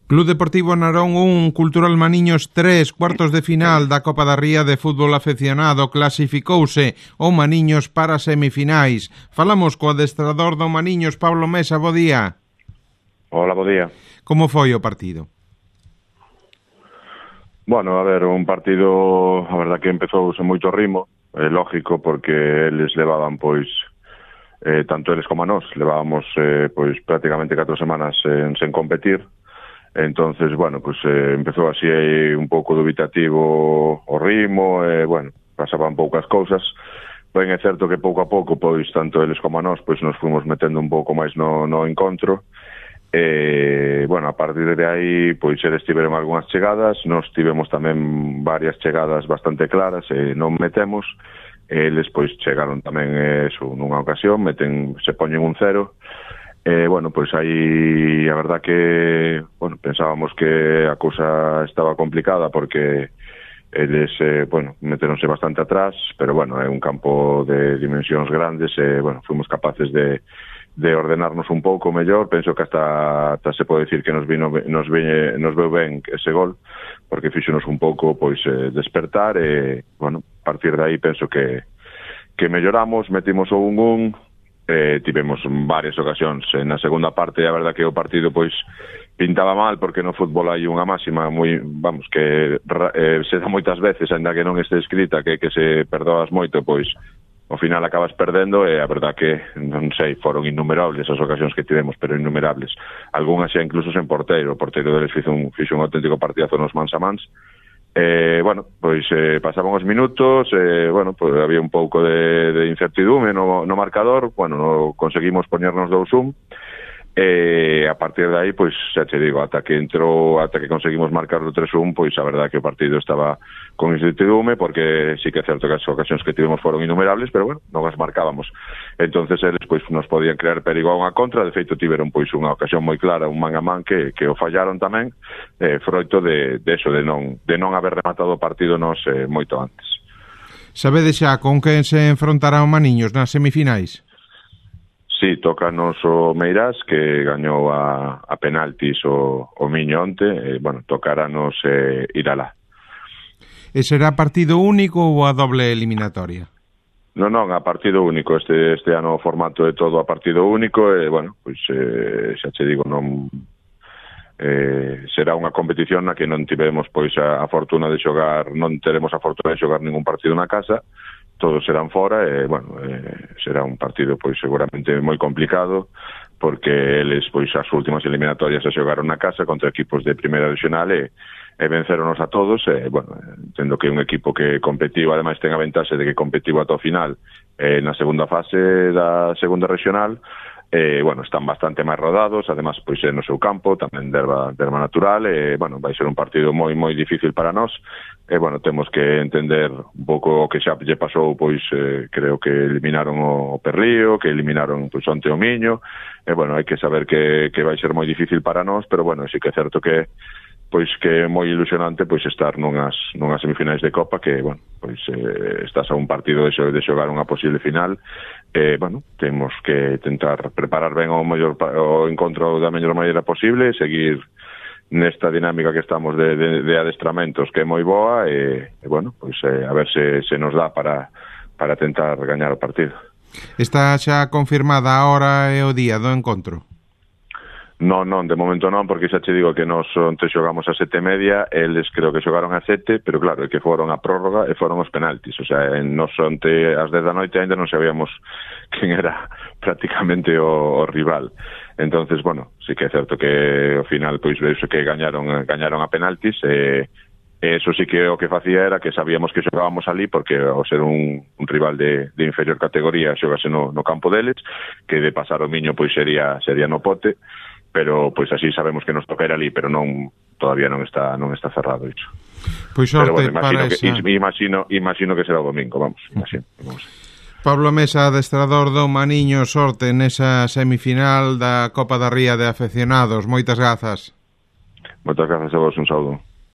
Club Deportivo Narón 1, Cultural Maniños 3, cuartos de final da Copa da Ría de Fútbol Afeccionado, clasificouse o Maniños para semifinais. Falamos co adestrador do Maniños, Pablo Mesa, bo día. Hola, bo día. Como foi o partido? Bueno, a ver, un partido, a verdad que empezou sen moito ritmo, lógico, porque eles levaban, pois, tanto eles como a nós, levábamos, pois, prácticamente 4 semanas sen competir. Entonces, bueno, pues empezou así un pouco dubitativo o ritmo, bueno, pasaban poucas cousas. Ben, é certo que pouco a pouco, pois, tanto eles como a nós, pois, nos fomos metendo un pouco máis no encontro. Bueno, a partir de aí, pois, eles tiveron algunhas chegadas, nós tivemos tamén varias chegadas bastante claras, non metemos. Eles, pois, chegaron tamén nunha ocasión, se poñen un 0. Bueno, pois aí a verdad que, bueno, pensábamos que a cousa estaba complicada porque eles, bueno, meteronse bastante atrás, pero bueno, é un campo de dimensións grandes e, bueno, fomos capaces de ordenarnos un pouco mellor. Penso que hasta se pode dicir que nos veu ben ese gol, porque fíxonos un pouco, pois, despertar e, bueno, a partir de aí penso que melloramos, metimos o 1-1. Tivemos varias ocasións na segunda parte. A verdad que o partido, pois, pintaba mal, porque no fútbol hai unha máxima moi, vamos, que se dá moitas veces, ainda que non este escrita, que se perdoas moito, pois ao final acabas perdendo. E a verdad que, non sei, foron innumerables as ocasións que tivemos, pero innumerables, algunhas xa incluso sen porteiro. O porteiro deles fixo un auténtico partidazo nos mans a mans. Bueno, pois pasaban os minutos, bueno, pois había un pouco de incertidume no marcador. Bueno, conseguimos poñernos 2-1, a partir de aí, pois, xa te digo, ata que conseguimos marcar o 3-1, pois a verdade que o partido estaba con incertidume, porque sí que é certo que as ocasións que tivemos foron innumerables, pero bueno, non as marcábamos. Entonces eles, pois, nos podían crear perigo a unha contra. De feito, tiveron, pois, unha ocasión moi clara, un man a man, que o fallaron tamén, froito de eso, de non haber rematado o partido nos moito antes. Sabedes xa con quen se enfrontará o Maniños nas semifinais? Sí, tócanos o Meirás, que gañou a penaltis o Miño onte. Bueno, tocarános ir alá. E será partido único ou a doble eliminatoria? Non, a partido único. Este ano o formato é todo a partido único. E, bueno, pois xa che digo, non será unha competición na que non tivemos, pois, a fortuna de xogar, non teremos a fortuna de xogar ningún partido na casa. Todos serán fora e, bueno, será un partido, pois, seguramente moi complicado, porque eles, pois, as últimas eliminatorias se xogaron na casa contra equipos de primeira regional e venceronos a todos. Bueno, entendo que un equipo que competiu, ademais ten a ventaxe de que competiu ata o final na segunda fase da segunda regional. Bueno, están bastante máis rodados, además, pois, no seu campo, tamén derba natural. Bueno, vai ser un partido moi difícil para nós. Bueno, temos que entender un pouco o que xa lle pasou, pois, creo que eliminaron o Perrío, que eliminaron, pois, onte o Miño. Bueno, hai que saber que vai ser moi difícil para nós, pero bueno, sí que é certo que, pois, que é moi ilusionante, pois, estar nunhas semifinais de Copa, que, bueno, pois, estás a un partido de xogar unha posible final. Bueno, temos que tentar preparar ben o encontro da mellor maneira posible, seguir nesta dinámica que estamos de adestramentos, que é moi boa, e bueno, pois a ver se nos dá para tentar gañar o partido. Está xa confirmada a hora e o día do encontro? Non, de momento non, porque xa che digo que nos onte xogamos a 7:30, eles creo que xogaron a 7, pero claro, é que foron a prórroga e foron os penaltis. O sea, nos onte ás 10 da noite ainda non sabíamos quen era prácticamente o rival. Entonces, bueno, sí que é certo que ao final, pois, veuse que gañaron a penaltis, e eso sí que o que facía era que sabíamos que xogábamos ali, porque ao ser un rival de inferior categoría, xogase no campo deles, que de pasar o Miño, pois, sería no Pote. Pero, pois, así sabemos que nos toca ir ali, pero todavía non está cerrado iso. Pois sorte, bueno, para esa... imagino que será o domingo, vamos, imagino. Pablo Mesa, adestrador do Maniños, sorte nesa semifinal da Copa da Ría de Afeccionados. Moitas grazas. Moitas grazas a vos, un saúdo.